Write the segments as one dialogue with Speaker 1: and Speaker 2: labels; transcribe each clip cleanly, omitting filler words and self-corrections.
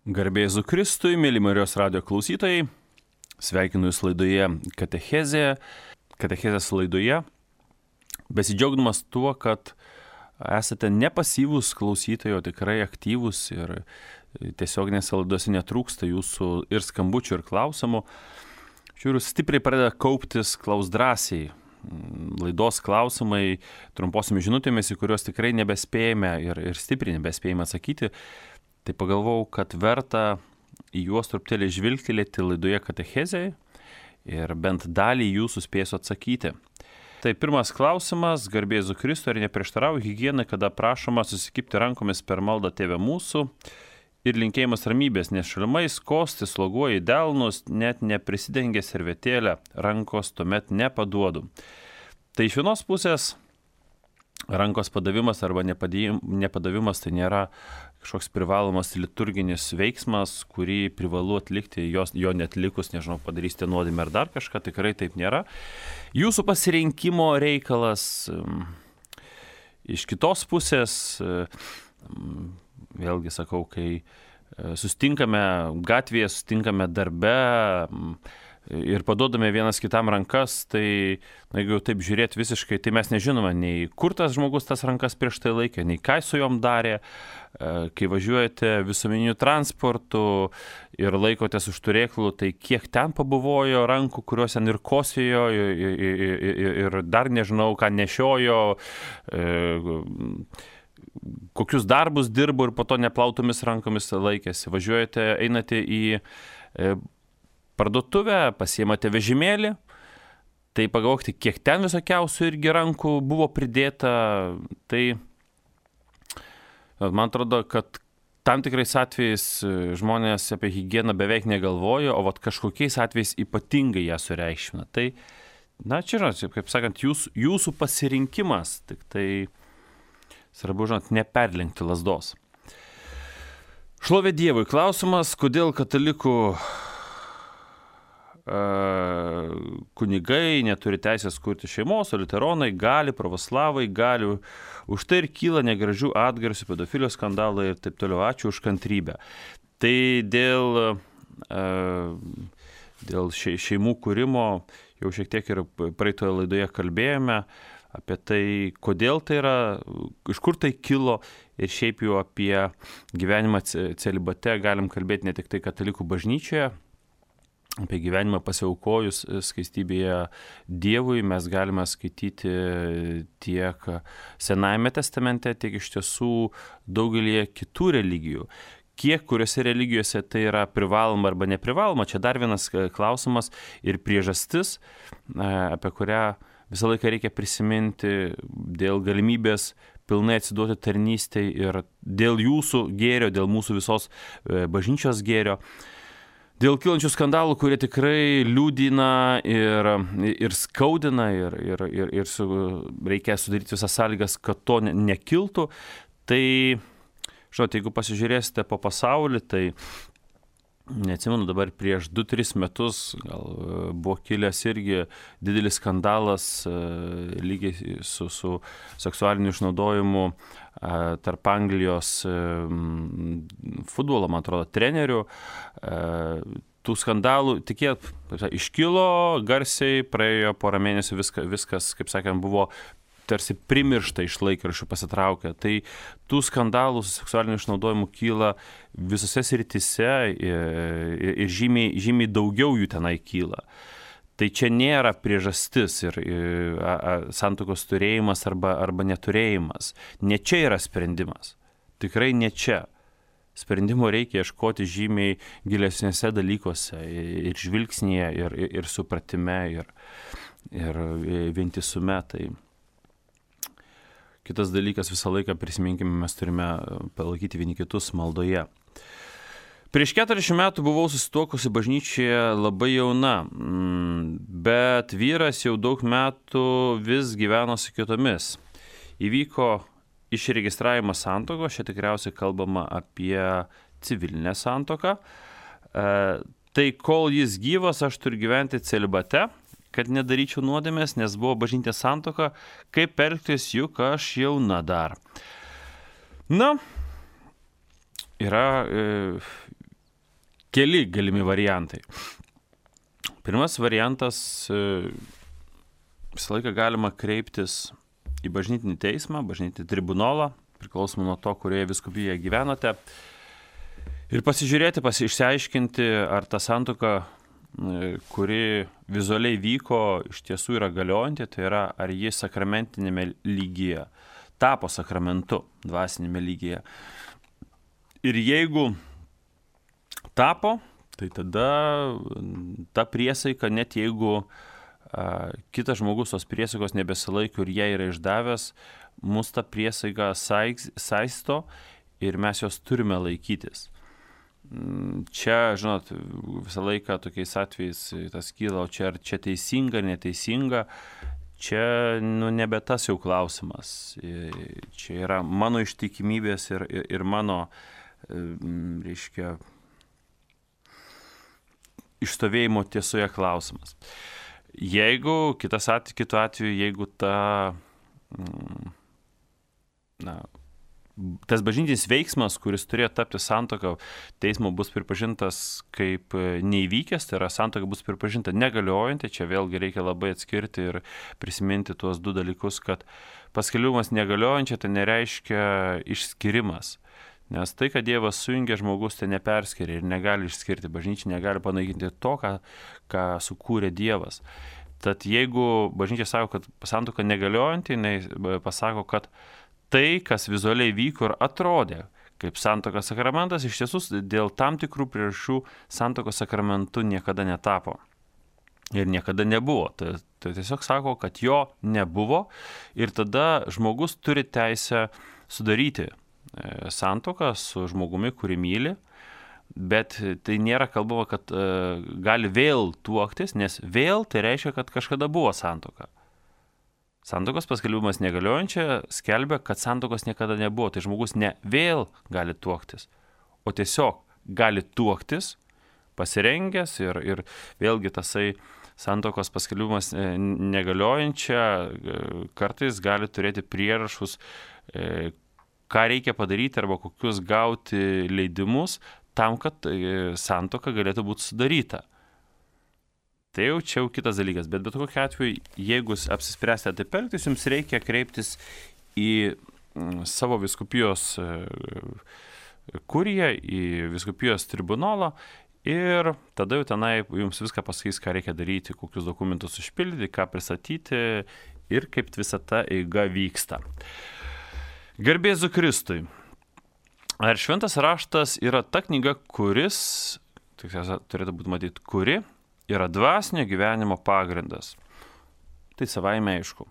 Speaker 1: Garbė Jėzui Kristui, mėly Marijos radijo klausytojai, sveikinu Jūs laidoje Katechezės laidoje, besidžiaugdamas tuo, kad esate ne pasyvūs klausytojai, o tikrai aktyvūs ir tiesioginėse laidose netrūksta Jūsų ir skambučių, ir klausimų. Žiūriu, stipriai pradeda kauptis klaus drąsiai laidos klausimai trumposiomis žinutėmis, į kuriuos tikrai nebespėjame ir stipriai nebespėjame atsakyti. Tai pagalvojau, kad verta į juos truputėlį žvilgtelėti laidoje Katechezėje ir bent dalį jų suspėsiu atsakyti. Tai pirmas klausimas, garbė Jėzui Kristui, ar neprieštarauja higienai, kada prašoma susikibti rankomis per maldą Tėve mūsų ir linkėjimas ramybės, nes šalimais kosti, sloguoja į delnus, net neprisidengia servetėlę, rankos tuomet nepaduodu. Tai iš vienos pusės rankos padavimas arba nepadavimas tai nėra kažkoks privalomas liturginis veiksmas, kurį privalu atlikti, jo netlikus, nežinau, padarysite nuodėmę ar dar kažką, tikrai taip nėra. Jūsų pasirinkimo reikalas. Iš kitos pusės, vėlgi sakau, kai sustinkame gatvėje, sustinkame darbe ir paduodame vienas kitam rankas, tai jeigu taip žiūrėti visiškai, tai mes nežinome nei kur tas žmogus tas rankas prieš tai laikė, nei ką su jom darė. Kai važiuojate visuomeniniu transportu ir laikotės už turėklų, tai kiek ten pabuvojo rankų, kuriuos ten ir kosėjo, ir dar nežinau, ką nešiojo, kokius darbus dirbo ir po to neplautomis rankomis laikėsi. Važiuojate, einate į parduotuvę, pasiimate vežimėlį, tai pagalvokite, kiek ten visokiausių irgi rankų buvo pridėta. Tai man atrodo, kad tam tikrais atvejais žmonės apie higieną beveik negalvoja, o vat kažkokiais atvejais ypatingai ją sureikšmina. Tai, čia žinot, kaip sakant, jūsų pasirinkimas, tik tai svarbu, žinot, neperlenkti lazdos. Šlovė Dievui. Klausimas, kodėl katalikų kunigai neturi teisės kurti šeimos, o liuteronai gali, pravoslavai gali. Už tai ir kyla negražių atgarsių, pedofilijos skandalai ir taip toliau. Ačiū už kantrybę. Tai dėl šeimų kūrimo jau šiek tiek ir praeitoje laidoje kalbėjome apie tai, kodėl tai yra, iš kur tai kilo ir šiaip jau apie gyvenimą celibate galim kalbėti ne tik tai katalikų bažnyčioje, apie gyvenimą pasiaukojus skaistybėje Dievui mes galime skaityti tiek Senajame testamente, tiek iš tiesų daugelį kitų religijų. Kiek kuriuose religijose tai yra privaloma arba neprivaloma, čia dar vienas klausimas ir priežastis, apie kurią visą laiką reikia prisiminti dėl galimybės pilnai atsiduoti tarnystei ir dėl jūsų gėrio, dėl mūsų visos bažnyčios gėrio. Dėl kylančių skandalų, kurie tikrai liūdina ir skaudina ir reikia sudaryti visas sąlygas, kad to nekiltų, tai, žinot, jeigu pasižiūrėsite po pasaulį, tai neatsimenu dabar prieš 2-3 metus gal buvo kilęs irgi didelis skandalas lygiai su seksualiniu išnaudojimu tarp Anglijos futbolo, man atrodo, trenerių. Tų skandalų iškilo garsiai, praėjo porą mėnesių, viskas, kaip sakant, buvo tarsi primiršta iš laikraščių pasitraukę. Tai tų skandalų su seksualiniu išnaudojimu kyla visose srityse ir žymiai daugiau jų tenai kyla. Tai čia nėra priežastis ir santuokos turėjimas arba neturėjimas. Ne čia yra sprendimas. Tikrai ne čia. Sprendimo reikia ieškoti žymiai gilesnėse dalykuose ir žvilgsnėje, ir supratime, ir vientisume. Tai kitas dalykas, visą laiką prisiminkime, mes turime palaikyti vieni kitus maldoje. Prieš 40 metų buvau susituokusi bažnyčioje labai jauna, bet vyras jau daug metų vis gyveno su kitomis. Įvyko išregistravimas santuokos, čia tikriausiai kalbama apie civilinę santuoką. Tai kol jis gyvas, aš turiu gyventi celibate, kad nedaryčiau nuodėmės, nes buvo bažnytinė santuoka, kaip elgtis, juk aš jauna dar. Yra keli galimi variantai. Pirmas variantas, visą laiką galima kreiptis į bažnytinį teismą, bažnytinį tribunolą, priklausomai nuo to, kurioje vyskupijoje gyvenate, ir pasižiūrėti, išsiaiškinti, ar ta santuoka, kuri vizualiai vyko, iš tiesų yra galiojanti, tai yra, ar ji sakramentinėme lygyje, tapo sakramentu dvasinėme lygyje. Ir jeigu tapo, tai tada ta priesaika, net jeigu kitas žmogus tos priesaikos nebesilaiko ir ją yra išdavęs, mus ta priesaika saisto ir mes jos turime laikytis. Čia, žinot, visą laiką tokiais atvejais tas kyla, o čia ar čia teisinga, neteisinga, čia nebe tas jau klausimas. Čia yra mano ištikimybės ir mano, reiškia, išstovėjimo tiesoje klausimas. Jeigu, kitu atveju, jeigu tas bažnytinis veiksmas, kuris turėjo tapti santuoka, teismo bus pripažintas kaip neįvykęs, tai yra santuoka bus pripažinta negaliojanti, čia vėlgi reikia labai atskirti ir prisiminti tuos du dalykus, kad paskelbimas negaliojančia tai nereiškia išskirimas. Nes tai, kad Dievas sujungia, žmogus tai neperskiria ir negali išskirti, bažnyčia negali panaikinti to, ką sukūrė Dievas. Tad jeigu bažnyčia sako, kad santuoka negaliojanti, jinai pasako, kad tai, kas vizualiai vyko ir atrodė kaip santuokos sakramentas, iš tiesų dėl tam tikrų priežasčių santuokos sakramentu niekada netapo ir niekada nebuvo. Tai tiesiog sako, kad jo nebuvo ir tada žmogus turi teisę sudaryti santuoką su žmogumi, kurį myli, bet tai nėra kalbama, kad gali vėl tuoktis, nes vėl tai reiškia, kad kažkada buvo santuoka. Santuokos paskelbimas negaliojančia skelbia, kad santuokos niekada nebuvo. Tai žmogus ne vėl gali tuoktis, o tiesiog gali tuoktis, pasirengęs ir vėlgi tasai santuokos paskelbimas negaliojančia kartais gali turėti prierašus, ką reikia padaryti arba kokius gauti leidimus tam, kad santuoka galėtų būti sudaryta. Tai jau čia kitas dalykas, bet kokiu atveju, jeigu apsispręsite taip elgtis, jums reikia kreiptis į savo vyskupijos kuriją, į vyskupijos tribunolą ir tada jau tenai jums viską pasakys, ką reikia daryti, kokius dokumentus užpildyti, ką pristatyti ir kaip visa ta eiga vyksta. Garbė Jėzui Kristui. Ar šventas raštas yra ta knyga, kuris, turėtų būti matyti, kuri yra dvasinio gyvenimo pagrindas? Tai savaime aišku.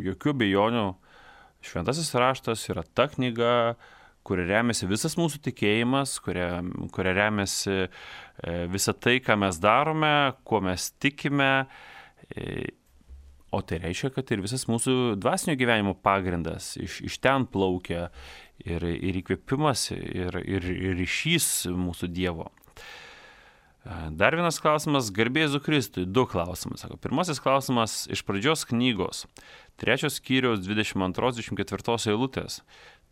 Speaker 1: Jokių abejonių, šventasis raštas yra ta knyga, kuria remiasi visas mūsų tikėjimas, kuria remiasi visa tai, ką mes darome, kuo mes tikime. O tai reiškia, kad ir visas mūsų dvasinio gyvenimo pagrindas iš ten plaukia ir įkvėpimas, ir ryšys mūsų Dievo. Dar vienas klausimas, garbė Jėzui Kristui, 2 klausimai. Sako, pirmasis klausimas iš pradžios knygos, 3 skyriaus 22-24 eilutės.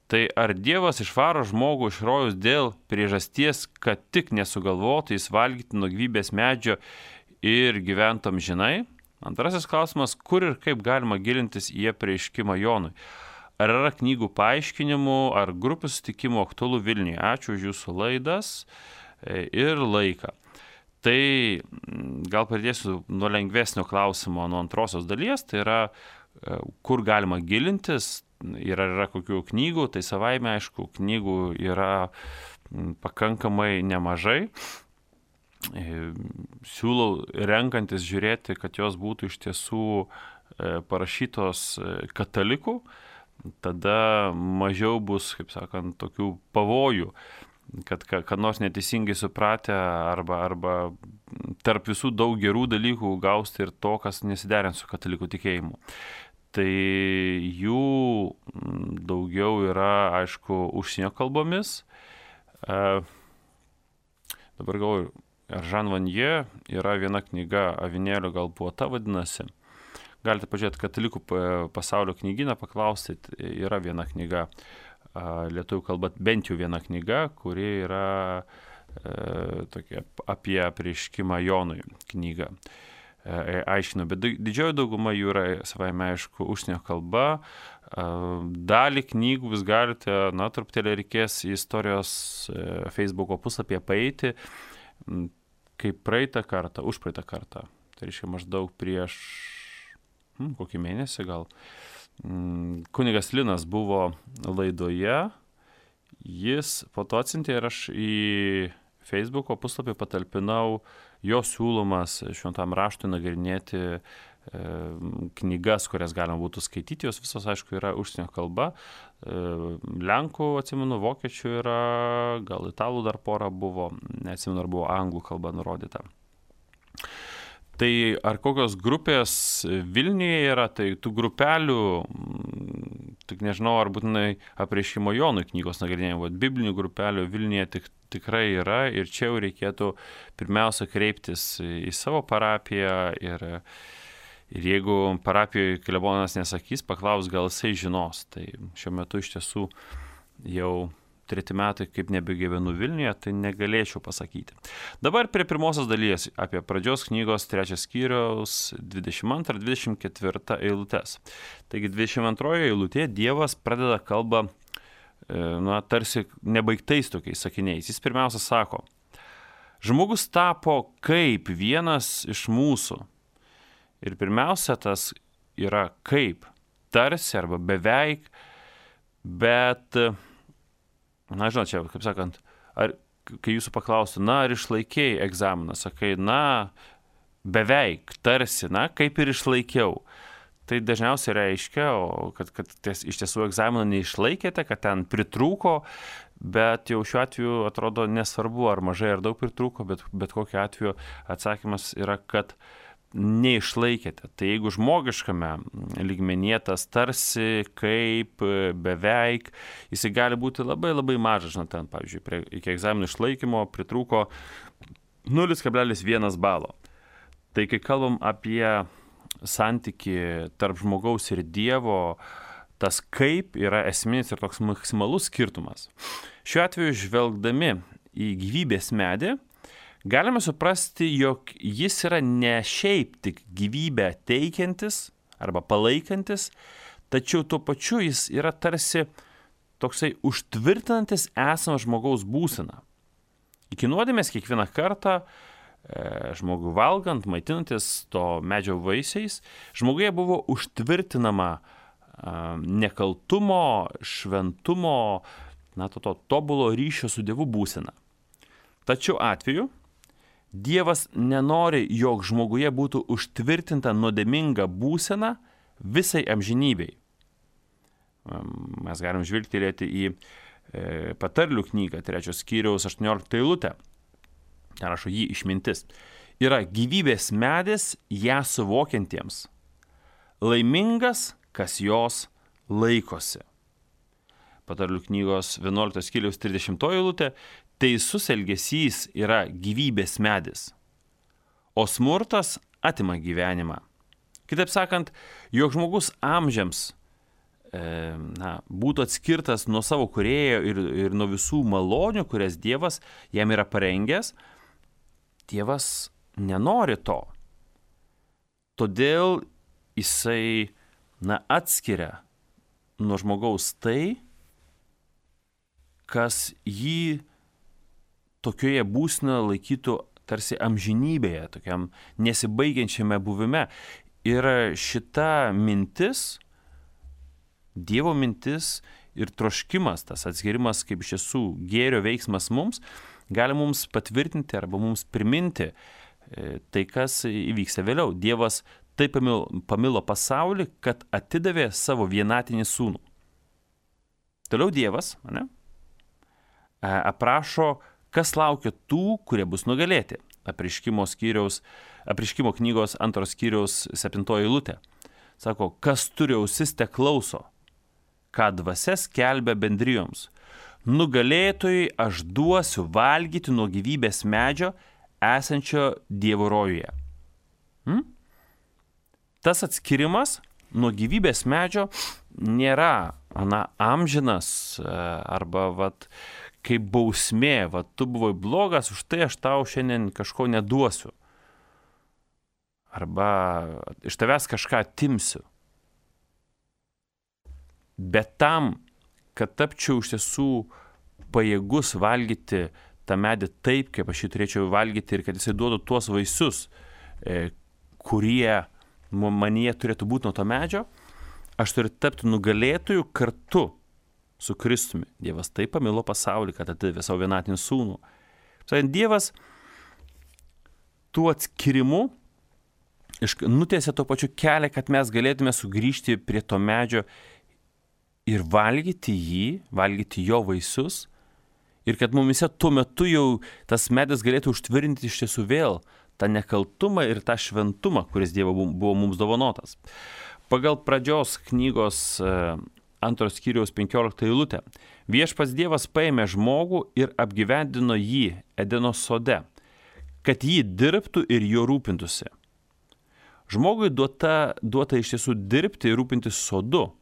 Speaker 1: Tai ar Dievas išvaro žmogų iš rojaus dėl priežasties, kad tik nesugalvotų jis valgyti nuo gyvybės medžio ir gyventų amžinai? Antrasis klausimas, kur ir kaip galima gilintis į apreiškimą Jonui? Ar yra knygų paaiškinimų, ar grupių susitikimų aktualų Vilniuje? Ačiū už jūsų laidas ir laiką. Tai gal pradėsiu nuo lengvesnio klausimo, nuo antrosios dalies, tai yra, kur galima gilintis, ir ar yra kokių knygų, tai savaime, aišku, knygų yra pakankamai nemažai. Siūlau renkantis žiūrėti, kad jos būtų iš tiesų parašytos katalikų, tada mažiau bus, kaip sakant, tokių pavojų, kad nors neteisingai supratę arba tarp visų daug gerų dalykų gausti ir to, kas nesiderint su katalikų tikėjimu. Tai jų daugiau yra, aišku, užsienio kalbomis. Dabar galvoju, ar Žan Vanje yra viena knyga, Avinėlio gal buvo ta vadinasi. Galite pažiūrėti katalikų pasaulio knygyną, paklausti, yra viena knyga lietuvių kalba, bent jau viena knyga, kuri yra tokia apie apreiškimą Jonui knygą aiškinu, bet didžioji dauguma jų yra savaime aišku užsienio kalba. Dalį knygų jūs galite, truputėlį reikės į istorijos Facebooko puslapyje paeiti, kaip užpraeitą kartą, tai reiškia maždaug prieš kokį mėnesį gal, kunigas Linas buvo laidoje, jis po to atsiuntė ir aš į Facebooko puslapį patalpinau jo siūlomas šventam raštui nagrinėti knygas, kurias galima būtų skaityti, jos visos, aišku, yra užsienio kalba, lenkų, atsimenu, vokiečių yra, gal italų dar pora buvo, neatsimenu, ar buvo anglų kalba nurodyta. Tai ar kokios grupės Vilniuje yra, tai tų grupelių, tik nežinau, ar būtinai apreiškimo Jonui knygos nagrinėjimo, bet biblinių grupelių Vilniuje tikrai yra ir čia jau reikėtų pirmiausia kreiptis į savo parapiją ir jeigu parapijoje klebonas nesakys, paklaus, gal jisai žinos. Tai šiuo metu iš tiesų jau 3 metai, kaip nebegyvenu Vilniuje, tai negalėčiau pasakyti. Dabar prie pirmosios dalies apie pradžios knygos 3 skyriaus 22-24 eilutes. Taigi 22 eilutė Dievas pradeda kalbą, tarsi nebaigtais tokiais sakiniais. Jis pirmiausia sako, žmogus tapo kaip vienas iš mūsų. Ir pirmiausia tas yra kaip, tarsi arba beveik, bet žinot, čia, kaip sakant, kai jūsų paklaustų, ar išlaikėjai egzaminą, sakai, beveik, tarsi, kaip ir išlaikiau. Tai dažniausiai reiškia, kad iš tiesų egzaminą neišlaikėte, kad ten pritrūko, bet jau šiuo atveju atrodo nesvarbu, ar mažai ar daug pritrūko, bet kokiu atveju atsakymas yra, kad neišlaikėte. Tai jeigu žmogiškame lygmenyje tas tarsi, kaip, beveik, jisai gali būti labai labai mažas, ten, pavyzdžiui, iki egzaminų išlaikymo pritrūko 0,1 balo. Tai kai kalbam apie santyki tarp žmogaus ir Dievo, tas kaip yra esminis ir toks maksimalus skirtumas. Šiuo atveju žvelgdami į gyvybės medį, galime suprasti, jog jis yra ne šiaip tik gyvybę teikiantis arba palaikantis, tačiau tuo pačiu jis yra tarsi toksai užtvirtinantis esamą žmogaus būseną. Iki nuodėmės kiekvieną kartą žmogų valgant, maitinantis to medžio vaisiais, žmoguje buvo užtvirtinama nekaltumo, šventumo, to tobulo ryšio su Dievu būsena. Tačiau atveju Dievas nenori, jog žmoguje būtų užtvirtinta nuodėminga būsena visai amžinybei. Mes galim žvilgtelėti į patarlių knygą 3 skyriaus 18 eilutę. Ten rašo jį išmintis. Yra gyvybės medis ją suvokiantiems. Laimingas, kas jos laikosi. Patarlių knygos 11 skyriaus 30 eilutė. Teisus elgesys yra gyvybės medis, o smurtas atima gyvenimą. Kitaip sakant, jog žmogus amžiams būtų atskirtas nuo savo kūrėjo ir nuo visų malonių, kurias Dievas jam yra parengęs, Dievas nenori to. Todėl jisai atskiria nuo žmogaus tai, kas jį tokioje būsenoje laikytų tarsi amžinybėje, tokiam nesibaigiančiame buvime. Ir šita mintis, Dievo mintis ir troškimas, tas atskirimas kaip iš tiesų gėrio veiksmas mums, gali mums patvirtinti arba mums priminti tai, kas įvyksta vėliau. Dievas taip pamilo pasaulį, kad atidavė savo vienatinį sūnų. Toliau Dievas aprašo, kas laukia tų, kurie bus nugalėti. Apreiškimo knygos 2 skyriaus 7 eilutė. Sako, kas turi ausis, te klauso, ką dvasia skelbia bendrijoms. Nugalėtojai aš duosiu valgyti nuo gyvybės medžio esančio Dievo rojuje. Tas atskirimas nuo gyvybės medžio nėra amžinas arba kaip bausmė, va, tu buvai blogas, už tai aš tau šiandien kažko neduosiu. Arba iš tavęs kažką atimsiu. Bet tam, kad tapčiau iš tiesų pajėgus valgyti tą medį taip, kaip aš jį turėčiau valgyti ir kad jisai duotų tuos vaisius, kurie manyje turėtų būti nuo to medžio, aš turiu tapti nugalėtoju kartu su Kristumi. Dievas taip pamilo pasaulį, kad atidavė savo vienatinį sūnų. Dievas tų atskirimų nutiesė to pačiu kelią, kad mes galėtume sugrįžti prie to medžio ir valgyti jį, valgyti jo vaisius, ir kad mumise tuo metu jau tas medis galėtų užtvirtinti iš tiesų vėl tą nekaltumą ir tą šventumą, kuris Dievo buvo mums dovanotas. Pagal Pradžios knygos 2 skyriaus 15 eilutę. Viešpats Dievas paėmė žmogų ir apgyvendino jį Edeno sode, kad jį dirbtų ir jo rūpintųsi. Žmogui duota iš tiesų dirbti ir rūpintis sodu.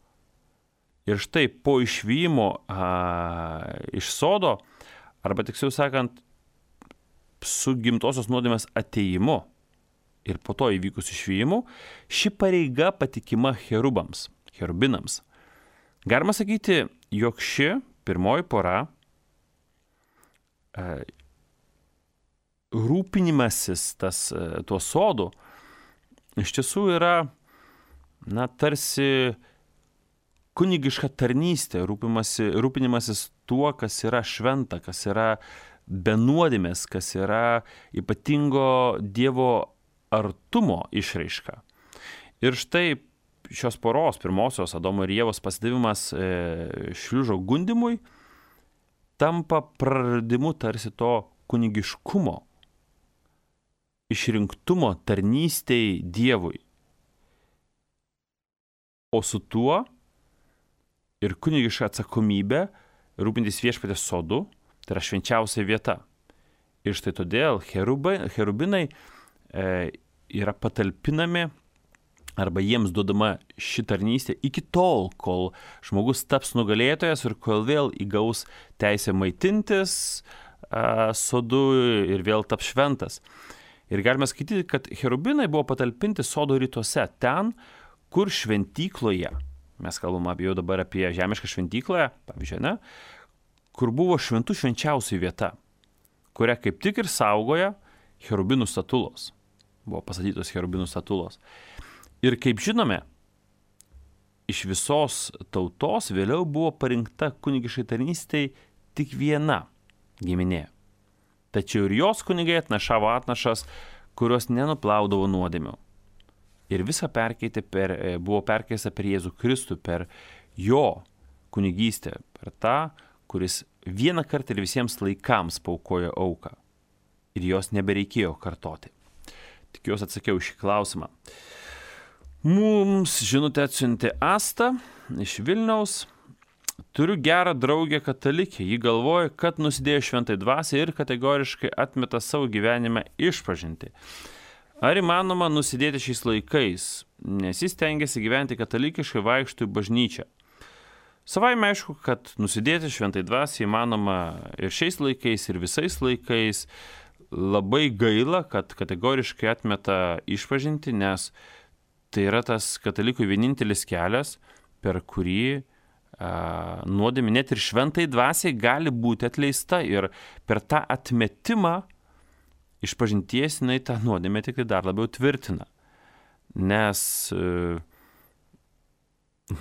Speaker 1: Ir štai po išvijimo iš sodo, arba tiksliau sakant, su gimtosios nuodėmės atėjimu ir po to įvykus išvijimu, ši pareiga patikima cherubinams. Galima sakyti, jog ši pirmoji pora rūpinimasis tuo sodu iš tiesų yra, tarsi kunigiška tarnystė, rūpinimasis tuo, kas yra šventa, kas yra be nuodėmės, kas yra ypatingo Dievo artumo išraiška. Ir štai šios poros, pirmosios Adomo ir Ievos pasidavimas šliužo gundimui, tampa praradimu tarsi to kunigiškumo, išrinktumo tarnystei Dievui. O su tuo ir kunigiška atsakomybė rūpintis viešpatės sodu, tai yra švenčiausia vieta. Ir štai todėl cherubinai yra patalpinami arba jiems duodama ši tarnystė iki tol, kol žmogus taps nugalėtojas ir kol vėl įgaus teisę maitintis sodu ir vėl taps šventas. Ir galime skaityti, kad cherubinai buvo patalpinti sodo rytuose, ten, kur šventykloje, mes kalbame jau dabar apie žemišką šventyklą, pavyzdžiui, ne, kur buvo šventų švenčiausiai vieta, kurią kaip tik ir saugoja cherubinų statulos. Buvo pastatytos cherubinų statulos. Ir kaip žinome, iš visos tautos vėliau buvo parinkta kunigiškai tarnystei tik viena giminė. Tačiau ir jos kunigai atnašavo atnašas, kurios nenuplaudavo nuodėmių. Ir visa buvo perkeista per Jėzų Kristų, per jo kunigystę, per tą, kuris vieną kartą ir visiems laikams paaukojo auką. Ir jos nebereikėjo kartoti. Tikiuosi atsakiau šį klausimą. Mums žinutę atsiuntė Asta iš Vilniaus. Turiu gerą draugę katalikę. Ji galvoja, kad nusidėjo šventai dvasiai ir kategoriškai atmeta savo gyvenime išpažinti. Ar įmanoma nusidėti šiais laikais, nes jis stengiasi gyventi katalikiškai, vaikšto į bažnyčią? Savaime aišku, kad nusidėti šventai dvasiai įmanoma ir šiais laikais, ir visais laikais. Labai gaila, kad kategoriškai atmeta išpažinti, nes tai yra tas katalikų vienintelis kelias, per kurį nuodėmė net ir šventai dvasiai gali būti atleista, ir per tą atmetimą išpažinties jinai tą nuodėmę tik dar labiau tvirtina. Nes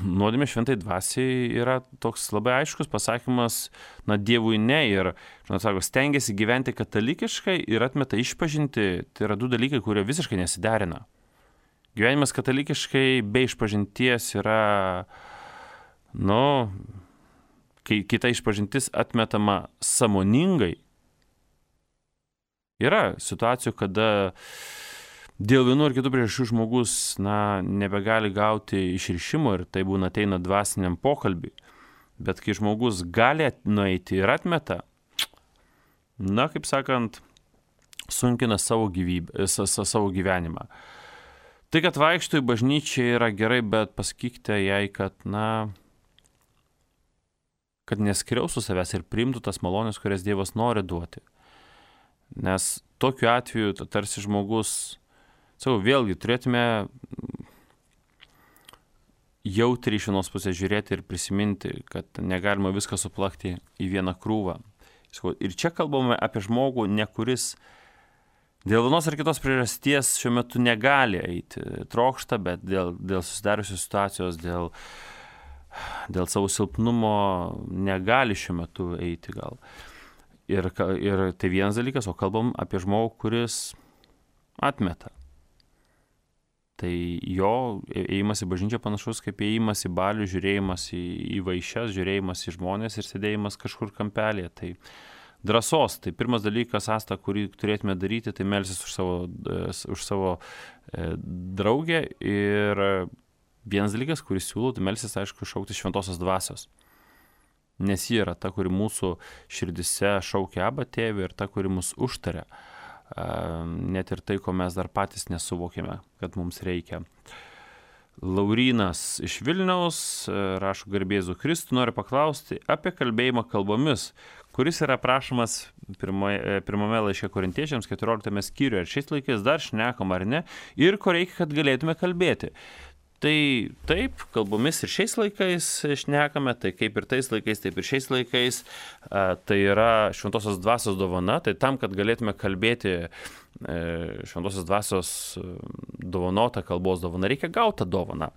Speaker 1: nuodėmė šventai dvasiai yra toks labai aiškus pasakymas, Dievui ne, ir, sako, stengiasi gyventi katalikiškai ir atmeta išpažinti, tai yra du dalykai, kurie visiškai nesiderina. Gyvenimas katalikiškai be išpažinties yra, kai kita išpažintis atmetama sąmoningai. Yra situacijų, kada dėl vienų ir kitų priežasčių žmogus nebegali gauti išrišimo ir tai būna ateina dvasiniam pokalbiui. Bet kai žmogus gali nueiti ir atmeta, kaip sakant, sunkina savo gyvenimą. Tai, kad vaikšto į bažnyčią yra gerai, bet pasakykite jai, kad, kad neskriaustų savęs ir priimtų tas malonės, kurias Dievas nori duoti. Nes tokiu atveju tarsi žmogus, vėlgi turėtume jautriai iš vienos pusės žiūrėti ir prisiminti, kad negalima viską suplakti į vieną krūvą. Ir čia kalbame apie žmogų, ne kuris dėl vienos ar kitos priežasties šiuo metu negali eiti, trokšta, bet dėl susidariusios situacijos, dėl savo silpnumo negali šiuo metu eiti gal. Ir tai vienas dalykas, o kalbam apie žmogų, kuris atmeta. Tai jo ėjimas į bažnyčią panašus kaip ėjimas į balių, žiūrėjimas į vaišes, žiūrėjimas į žmonės ir sėdėjimas kažkur kampelėje. Tai drąsos, tai pirmas dalykas, Asta, kurį turėtume daryti, tai melstis už savo draugę. Ir vienas dalykas, kurį siūlau, tai melstis, aišku, šaukti šventosios dvasios. Nes ji yra ta, kuri mūsų širdise šaukia Abba Tėvą ir ta, kuri mus užtaria. Net ir tai, ko mes dar patys nesuvokėme, kad mums reikia. Laurynas iš Vilniaus rašo garbėzu Kristų, nori paklausti apie kalbėjimą kalbomis, kuris yra aprašomas pirmame laiške Korintiečiams 14 skyriuje. Ar šiais laikais dar šnekam ar ne ir ko reikia, kad galėtume kalbėti. Tai taip, kalbomis ir šiais laikais šnekame, tai kaip ir tais laikais, taip ir šiais laikais. Tai yra šventosios dvasios dovana, tai tam, kad galėtume kalbėti šventosios dvasios dovanotą kalbos dovaną, reikia gauti tą dovaną.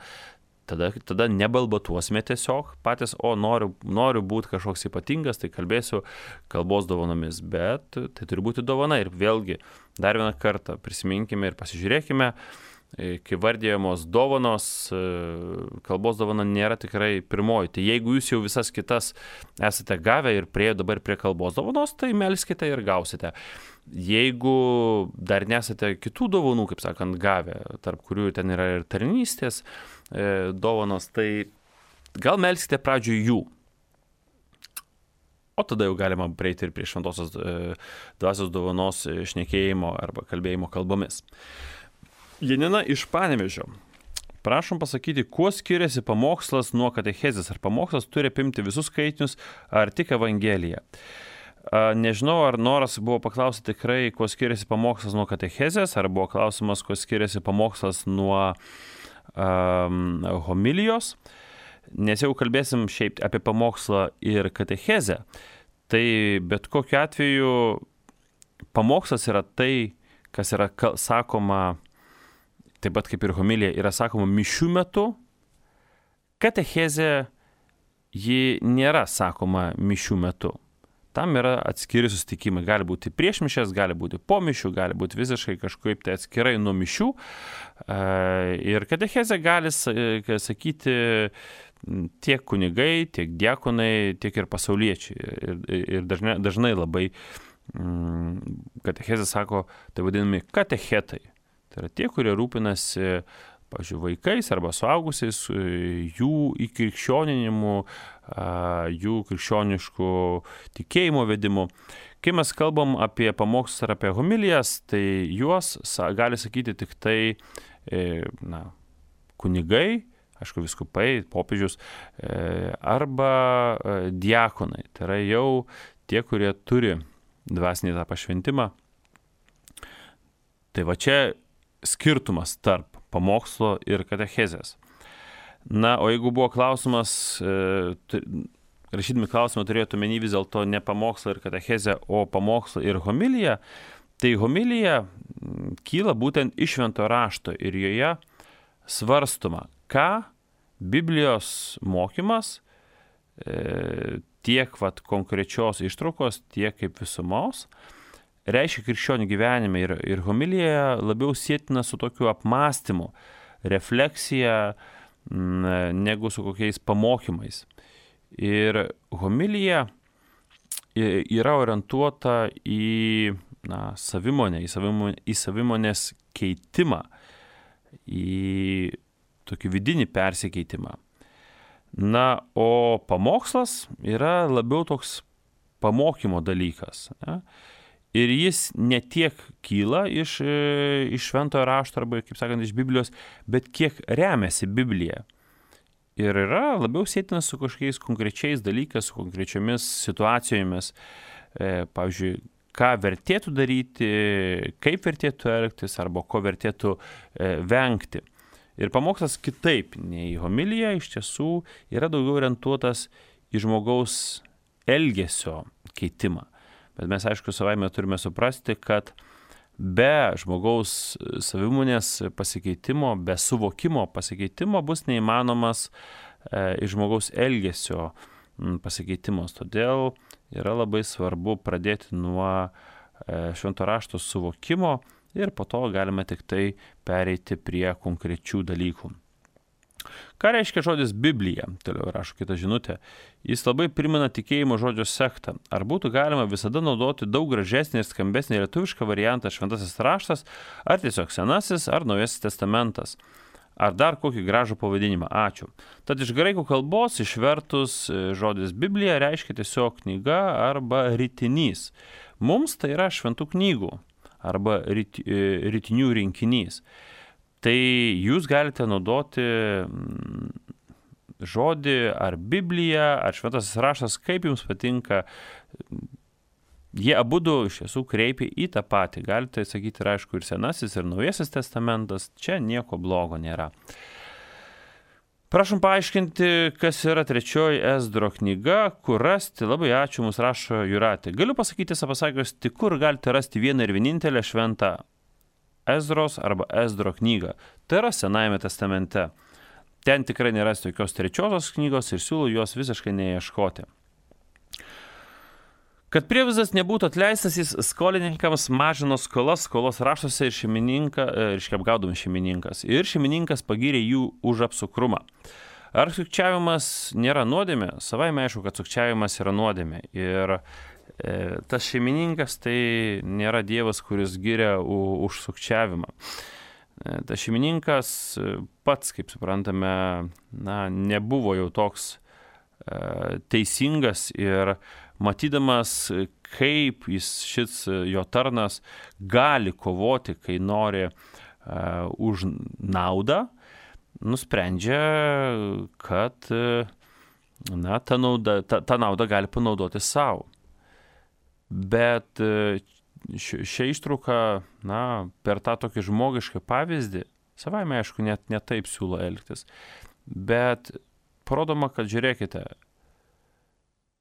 Speaker 1: Tada nebalbatuosime tiesiog patys, noriu būti kažkoks ypatingas, tai kalbėsiu kalbos dovanomis, bet tai turi būti dovana. Ir vėlgi, dar vieną kartą prisiminkime ir pasižiūrėkime, kai vardėjamos dovanos, kalbos dovana nėra tikrai pirmoji. Tai jeigu jūs jau visas kitas esate gavę ir priejo dabar prie kalbos dovanos, tai melskite ir gausite. Jeigu dar nesate kitų dovanų, kaip sakant, gavę, tarp kurių ten yra ir tarnystės dovanos, tai gal melskite pradžioj jų. O tada jau galima prieiti ir prie šventosios dvasios dovanos šnekėjimo arba kalbėjimo kalbomis. Janina iš Panevėžio. Prašom pasakyti, kuo skiriasi pamokslas nuo katechezės? Ar pamokslas turi apimti visus skaitinius, ar tik Evangeliją? Nežinau, ar noras buvo paklausyti tikrai, kuo skiriasi pamokslas nuo katechezės, ar buvo klausimas, kuo skiriasi pamokslas nuo homilijos. Nes jau kalbėsim šiaip apie pamokslą ir katechezę, tai bet kokiu atveju pamokslas yra tai, kas yra sakoma, taip pat kaip ir homilija, yra sakoma mišių metu. Katechezė ji nėra sakoma mišių metu. Tam yra atskiri susitikimai. Gali būti prieš mišes, gali būti po mišių, gali būti visiškai kažkaip tai atskirai nuo mišių. Ir katechezė gali sakyti tiek kunigai, tiek diakonai, tiek ir pasauliečiai. Ir dažnai labai katechezė sako, tai vadinami katechetai. Tai yra tie, kurie rūpinasi, pavyzdžiui, vaikais arba suaugusiais, jų įkrikščioninimu, jų krikščioniškų tikėjimo vedimu. Kai mes kalbam apie pamokslus ar apie homilijas, tai juos gali sakyti tik tai kunigai, aišku, vyskupai, popiežius, arba diakonai. Tai yra jau tie, kurie turi dvasinį tą pašventimą. Tai va čia skirtumas tarp pamokslo ir katechezės. Na, o jeigu buvo klausimas, rašydami klausimą turėtų omeny vis dėlto ne pamokslą ir katechezę, o pamokslą ir homiliją, tai homilija kyla būtent iš šventojo rašto ir joje svarstoma, ką Biblijos mokymas tiek konkrečios ištraukos, tiek kaip visumos reiškia krikščionių gyvenime ir homilija labiau sietina su tokiu apmąstymu, refleksija, negu su kokiais pamokymais. Ir homilija yra orientuota į savimonę, į savimonės keitimą, į tokį vidinį persikeitimą. Na, o pamokslas yra labiau toks pamokymo dalykas. Ne? Ir jis ne tiek kyla iš šventojo rašto arba, kaip sakant, iš Biblijos, bet kiek remiasi Biblija. ir yra labiau sėtinas su kažkokiais konkrečiais dalykais, su konkrečiomis situacijomis. Pavyzdžiui, ką vertėtų daryti, kaip vertėtų elgtis arba ko vertėtų vengti. Ir pamokslas kitaip nei homilija iš tiesų yra daugiau orientuotas į žmogaus elgesio keitimą. Bet mes, aišku, savaime turime suprasti, kad be žmogaus savimonės pasikeitimo, be suvokimo pasikeitimo bus neįmanomas iš žmogaus elgesio pasikeitimas. Todėl yra labai svarbu pradėti nuo švento rašto suvokimo ir po to galime tik tai pereiti prie konkrečių dalykų. Ką reiškia žodis Biblija? Toliau rašo kita žinutė. Jis labai primena tikėjimo žodžio sektą. Ar būtų galima visada naudoti daug gražesnį ir skambesnį lietuvišką variantą šventasis raštas, ar tiesiog senasis, ar naujasis testamentas? Ar dar kokį gražų pavadinimą? Ačiū. Tad iš graikų kalbos išvertus žodis Biblija reiškia tiesiog knyga arba ritinys. Mums tai yra šventų knygų arba ritinių rinkinys. Tai jūs galite naudoti žodį ar Bibliją, ar šventasis raštas, kaip jums patinka. Jie abudu iš tiesų kreipia į tą patį. Galite sakyti, ir aišku, ir senasis, ir naujasis testamentas. Čia nieko blogo nėra. Prašom paaiškinti, kas yra trečioji Ezdro knyga, kur rasti. Labai ačiū, mums rašo Jūratė. Galiu pasakyti, pasakius, tik kur galite rasti vieną ir vienintelę šventą Ezros arba Ezdro knygą. Tai yra Senajame testamente. Ten tikrai nėra tokios trečiosios knygos ir siūlau jos visiškai neieškoti. Kad prievizdas nebūtų atleistas, jis skolininkams mažino skolos raštuose ir apgaudomas šeimininkas. Ir šeimininkas pagyrė jų už apsukrumą. Ar sukčiavimas nėra nuodėmė? Savaime aišku, kad sukčiavimas yra nuodėmė. Ir tas šeimininkas tai nėra Dievas, kuris giria už sukčiavimą. Tas šeimininkas pats, kaip suprantame, nebuvo jau toks teisingas ir matydamas, kaip šis jo tarnas gali kovoti, kai nori už naudą, nusprendžia, kad tą naudą gali panaudoti savo. Bet šią ištrauką, per tą tokį žmogišką pavyzdį, savaime aišku, net taip siūlo elgtis, bet parodoma, kad žiūrėkite,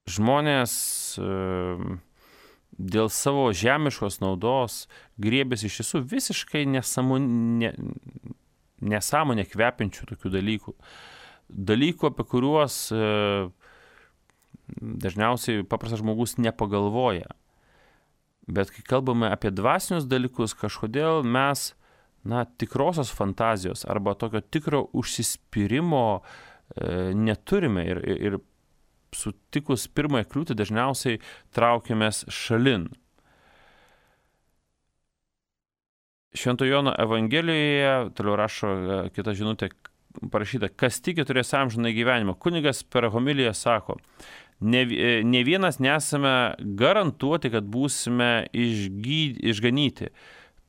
Speaker 1: žmonės dėl savo žemiškos naudos griebėsi iš tiesų visiškai nesąmonę kvepiančių tokių dalykų. Dalykų, apie kuriuos dažniausiai paprastas žmogus nepagalvoja. Bet kai kalbame apie dvasinius dalykus, kažkodėl mes tikrosios fantazijos arba tokio tikro užsispyrimo neturime ir sutikus pirmąją kliūtį dažniausiai traukiamės šalin. Švento Jono Evangelijoje, toliau rašo kita žinutė, parašyta, kas tiki turės amžiną gyvenimą. Kunigas per homiliją sako, ne vienas nesame garantuoti, kad būsime išganyti.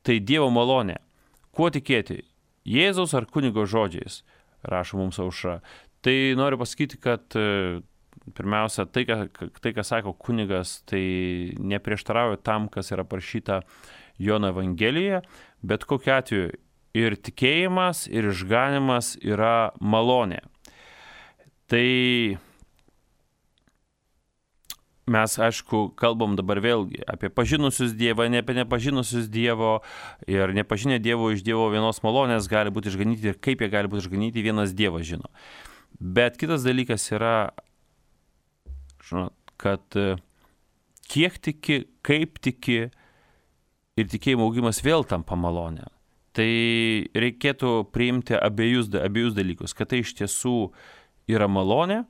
Speaker 1: Tai Dievo malonė. Kuo tikėti? Jėzaus ar kunigo žodžiais? Rašo mums Aušra. Tai noriu pasakyti, kad pirmiausia, tai, ką sako kunigas, tai neprieštarauja tam, kas yra parašyta Jono Evangelijoje, bet kokiu atveju ir tikėjimas, ir išganimas yra malonė. Tai mes, aišku, kalbam dabar vėlgi apie pažinusius Dievą, ne apie nepažinusius Dievo, ir nepažinę Dievo iš Dievo vienos malonės gali būti išganyti ir kaip jie gali būti išganyti, vienas Dievas žino. Bet kitas dalykas yra, žinot, kad kiek tiki, kaip tiki ir tikėjimo augimas vėl tampa malonė. Tai reikėtų priimti abiejus dalykus, kad tai iš tiesų yra malonė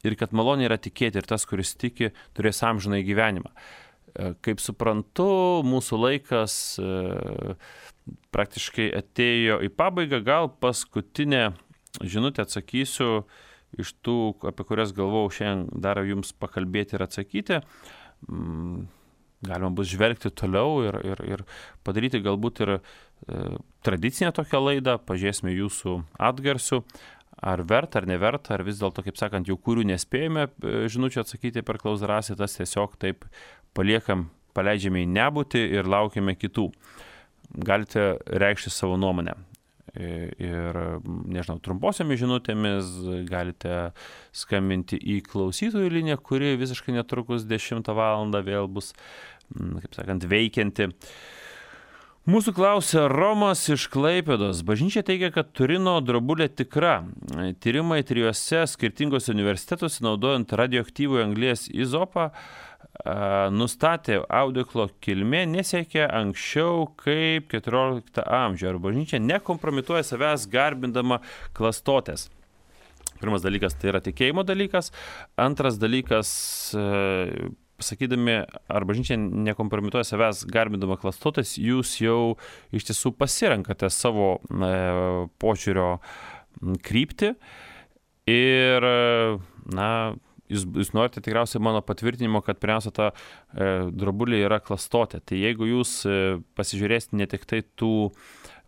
Speaker 1: ir kad malonė yra tikėti ir tas, kuris tiki, turės amžinąjį gyvenimą. Kaip suprantu, mūsų laikas praktiškai atėjo į pabaigą, gal paskutinę žinutę atsakysiu iš tų, apie kurias galvojau šiandien dar jums pakalbėti ir atsakyti. Galima bus žvelgti toliau ir padaryti galbūt ir tradicinę tokią laidą, pažiūrėsime jūsų atgarsių. ar verta, ar neverta, ar vis dėlto, kaip sakant, jau kurių nespėjome žinučių atsakyti per Klaus drąsiai, tas tiesiog taip paleidžiame į nebūtį ir laukiame kitų. Galite reikšti savo nuomonę. Ir, nežinau, trumposiomis žinutėmis galite skambinti į klausytojų liniją, kuri visiškai netrukus 10 valandą vėl bus, kaip sakant, veikianti. Mūsų klausia Romas iš Klaipėdos. Bažnyčia teigia, kad Turino drobulė tikra. Tyrimai 3 skirtingose universitetuose naudojant radioaktyvų anglies izopą nustatė audeklo kilmė nesiekia anksčiau kaip 14 amžių. Ar bažnyčia nekompromituoja savęs garbindama klastotės? Pirmas dalykas tai yra tikėjimo dalykas. Antras dalykas, sakydami, ar bažnyčia nekompromituoja savęs garbindama klastotės, jūs jau iš tiesų pasirenkate savo požiūrio kryptį ir, jūs norite tikriausiai mano patvirtinimo, kad pirmiausia ta drobulė yra klastotė. Tai jeigu jūs pasižiūrėsite ne tik tai tų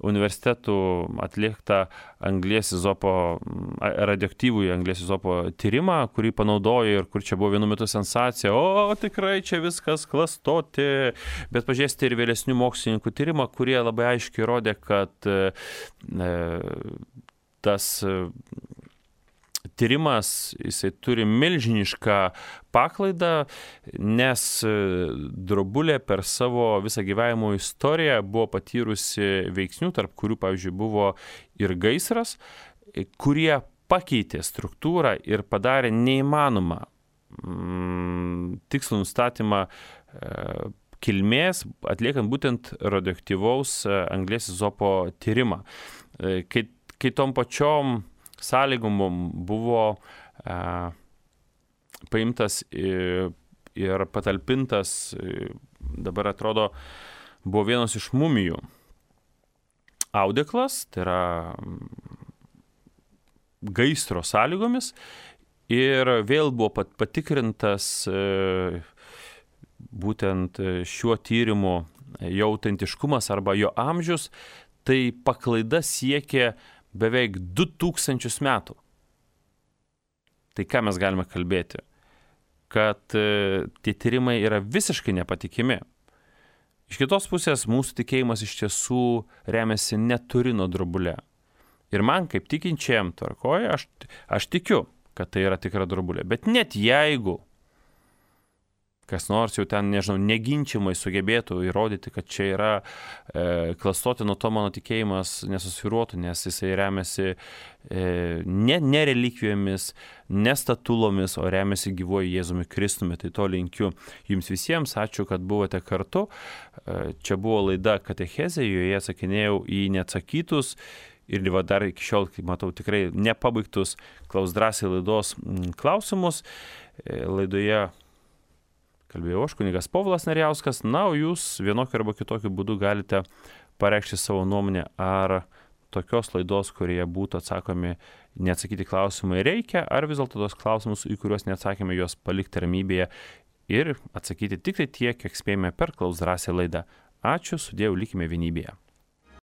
Speaker 1: universitetų atliktą anglies izopo, radioaktyvųjį anglies izopo tyrimą, kurį panaudojo ir kur čia buvo vienu metu sensacija, tikrai čia viskas klastotė, bet pažiūrėsite ir vėlesnių mokslininkų tyrimą, kurie labai aiškiai rodė, kad tas tyrimas, jisai turi milžinišką paklaidą, nes drobulė per savo visą gyvenimo istoriją buvo patyrusi veiksnių, tarp kurių, pavyzdžiui, buvo ir gaisras, kurie pakeitė struktūrą ir padarė neįmanomą tikslų nustatymą kilmės, atliekant būtent radioaktyvaus anglies izopo tyrimą. Kai tom pačiom sąlygom buvo paimtas ir patalpintas, dabar atrodo, buvo vienas iš mumijų audeklas, tai yra gaisro sąlygomis, ir vėl buvo patikrintas būtent šiuo tyrimu jo autentiškumas arba jo amžius, tai paklaida siekė beveik 2000 metų. Tai ką mes galime kalbėti? Kad tie tyrimai yra visiškai nepatikimi. Iš kitos pusės mūsų tikėjimas iš tiesų remiasi ne Turino drobulė. Ir man kaip tikinčiam tvarkoje, aš tikiu, kad tai yra tikra drobulė. Bet net jeigu kas nors jau ten, nežinau, neginčiamai sugebėtų įrodyti, kad čia yra klastotė, nuo to mano tikėjimas nesusvyruotų, nes jisai remiasi ne relikvijomis, ne statulomis, o remiasi gyvuoju Jėzumi Kristumi. Tai to linkiu jums visiems. Ačiū, kad buvote kartu. Čia buvo laida Katechezė, joje atsakinėjau į neatsakytus ir dar iki šiol, kaip matau, tikrai nepabaigtus Klaus drąsiai laidos klausimus. Laidoje kalbėjau aš, kunigas Povilas Narijauskas. O jūs vienokiu arba kitokiu būdu galite pareikšti savo nuomonę, ar tokios laidos, kurioje būtų atsakomi neatsakyti klausimai reikia, ar vis dėlto tos klausimus, į kuriuos neatsakėme, juos palikti ramybėje ir atsakyti tik tai tiek, kiek spėjome per Klaus drąsiai laidą. Ačiū, sudėjau, likime vienybėje.